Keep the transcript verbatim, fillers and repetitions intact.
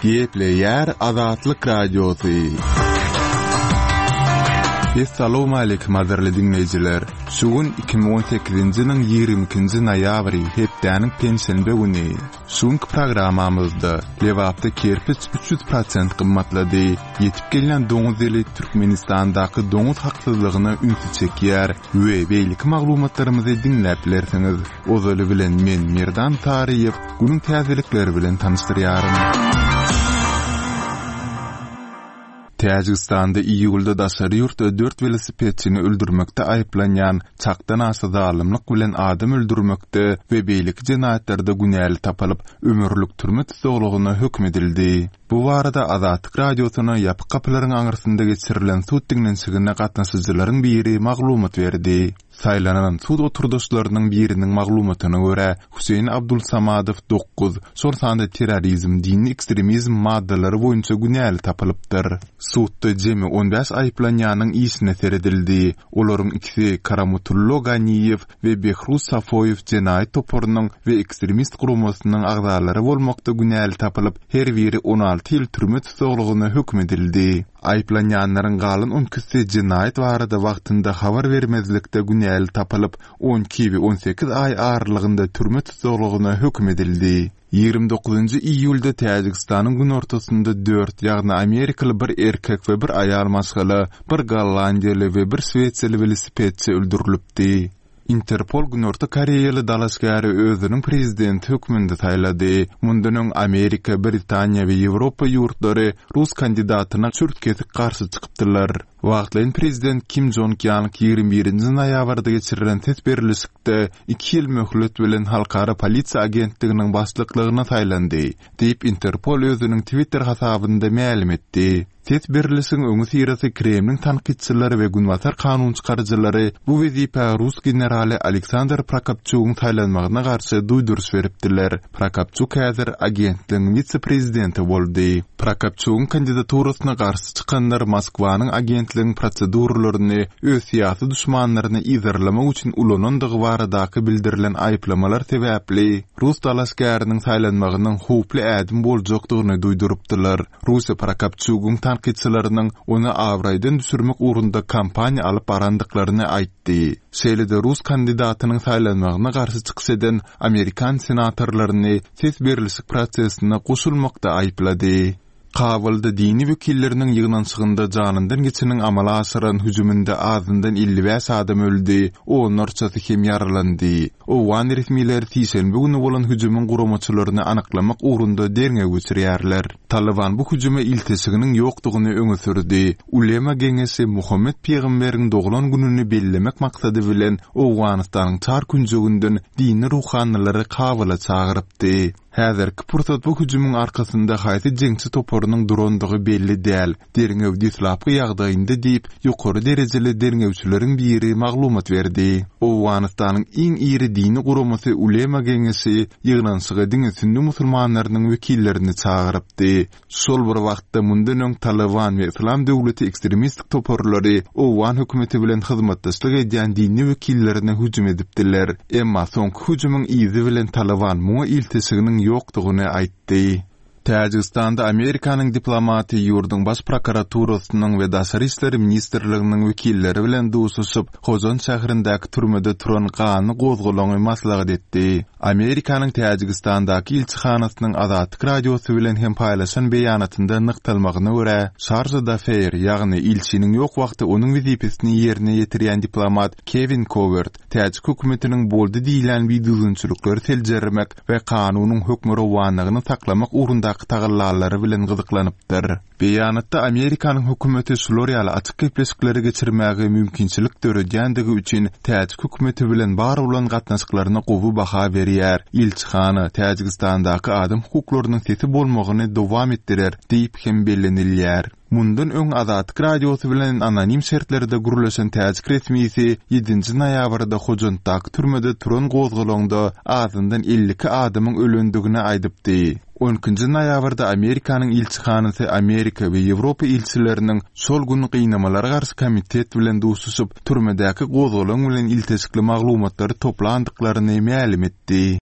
Gepleýär Azatlyk Radiosy. Essalawmaleýkim gadyrly diňleýjiler! Şu gün iki müň on sekizinji ýylyň ýigrimi ikinji noýabry, hepdäniň penşenbe güni. Şu günki programmamyzda Lebapda kerpiç üç ýüz prosent gymmatlady, ýetip gelýän doňuz ýyly Türkmenistandaky doňuz haksyzlygyna ünsi çekýär we beýleki maglumatlarymyzy diňläp bilersiňiz. Ozaly bilen men Merdan Saryýew günüň täzelikleri bilen tanyşdyrýaryn. Täjigistanda iýulda daşary ýurtda dört welosipedçini öldürmekde aýyplanýan çakdan aşa zalymlyk bilen adam öldürmekde we beýleki jenaýatlarda günäli tapylyp, ömürlik türme tussaglygyna höküm edildi. Bu barada Azatlyk Radiosyna ýapyk gapylaryň aňyrsynda geçirilen sud diňlenişigine gatnaşyjylaryň biri maglumat berdi. Saýlanan sud oturdaşlarynyň biriniň maglumatyna görä, Hüseýin Abdulsamadow dokuz, şol sanda terrorizm, dini ekstremizm maddalary boýunça günäli tapylypdyr. Sudda jemi on bäş aýyplanýanyň işine seredildi. Olaryň ikisi Karamutullo Ganiýew we Behruz Safoýew jenaýat toparynyň we ekstremist guramasynyň agzalary bolmakda günäli tapylyp, her biri on alty ýyl türme tussaglygyna höküm edildi. Aýyplanýanlaryň galan on ikisi jenaýat barada wagtynda habar bermezlikde günäli tapylyp, on iki we on sekiz aý aralygynda türme tussaglygyna höküm edildi. Ýigrimi dokuzynjy iýulda Täjigistanyň günortasynda dört, ýagny amerikaly bir erkek we bir aýal maşgala, bir gollandiýaly we bir şwesiýaly welosipedçi öldürilipdi. Interpol Günorta Koreýaly dalaşgäri özüniň prezidenti hökmünde saýlady. Mundan öň Amerika, Britaniýa we Ýewropa ýurtlary rus kandidatyna çürt-kesik garşy çykypdylar. Wagtlaýyn prezident Kim Jong Ýang ýigrimi birinji noýabrda geçirilen ses berlişikde iki ýyl möhlet bilen Halkara polisiýa agentliginiň başlyklygyna saýlandy, diýip Interpol özüniň Twitter hasabynda mälim etdi. Ses berlişigiň öňüsyrasy Kremliň tankytçylary we günbatar kanunçykaryjylary bu wezipä rus generaly Aleksandr Prokopçugyň saýlanmagyna garşy duýduryş beripdiler. Prokopçuk häzir agentligiň wise-prezidenti boldy. Prokopçugyň kandidaturasyna garşy çykanlar Moskwanyň agentligiň proseduralaryny öz syýasy duşmanlaryny yzarlamak üçin ulanandygy baradaky bildirilen aýyplamalar sebäpli rus dalaşgäriniň saýlanmagynyň howply ädim boljakdygyny duýdurypdylar. Russiýa Prokopçugyň tankytçylarynyň ony abraýdan düşürmek ugrunda kampaniýa alyp barandyklaryny aýtdy. Şeýle-de rus kandidatynyň saýlanmagyna garşy çykyş eden amerikan senatorlaryny ses berlişik prosesine goşulmakda aýyplady. Kabulda dini wekilleriniň ýygnanyşygynda janyndan geçeniň amala aşyran hüjüminde azyndan elli bäş adam öldi, onlarçasy hem ýaralandy. Owgan resmileri sişenbe güni bolan hüjümiň guramaçylaryny anyklamak ugrunda derňew geçirýärler. Taliban bu hüjüme ilteşiginiň ýokdugyny öňe sürdi. Ulema geňeşi Muhammet pygamberiň doglan gününi bellemek maksady bilen Owganystanyň çar künjeginden dini ruhanylary Kabula çagyrypdy. Häzirki pursat bu hüjümiň arkasynda haýsy jeňçi toparynyň durandygy belli däl. Derňew deslapky ýagdaýynda diýip, ýokary derejeli derňewçileriň biri maglumat berdi. Owganystanyň iň iri dini guramasy Ulema geňeşi ýygnanyşyga diňe sünni musulmanlarynyň wekillerini çagyrypdy. Şol bir wagtda mundan öň Taliban we Yslam döwleti ekstremistik toparlary owgan hökümeti bilen hyzmatdaşlyk edýän dini wekillerine hüjüm edipdiler. Emma soňky hüjümiň yzy bilen Taliban muňa ilteşiginiň ýokdugyny aýtdy. Täjigistanda Amerikanyň diplomaty ýurduň baş prokuraturasynyň we Daşary işler ministrliginiň wekilleri bilen duşuşyp, Hojant şäherindäki türmede turan ganly gozgalaňy maslahat etdi. Amerikanyň Täjigistandaky ilçihanasynyň Azatlyk Radiosy bilen hem paýlaşan beýanatynda nygtalmagyna görä, Şarja d'Affaires, ýagny ilçiniň ýok wagty onuň wezipesini ýerine ýetirýän diplomat Kewin Kowert, täjik hökümetiniň boldy diýilýän bidüzgünçilikleri seljermek we kanunyň hökmürowanlygyny saklamak ugrundaky tagallalary bilen gyzyklanypdyr. Beýanatda Amerikanyň hökümeti şular ýaly açyk gepleşikleri geçirmäge mümkinçilik döredýändigi üçin täjik hökümeti bilen bar bolan gatnaşyklaryna gowy baha berýär, ilçihana Täjigistandaky adam hukuklarynyň sesi bolmagyny dowam etdirer diýip hem bellenilýär. Mundan öň Azatlyk Radiosy bilen anonim şertlerde gürleşen täjik resmisi ýedinji noýabrda Hojantdaky türmede turan gozgalaňda azyndan elli iki adamyň ölendigini aýdypdy. On ikinji noýabrda Amerikanyň ilçihanasy Amerika we Ýewropa ilçileriniň şol gün gynamalara garşy komitet bilen duşuşyp, türmedäki gozgalaň bilen ilteşikli maglumatlary toplandyklaryny mälim etdi.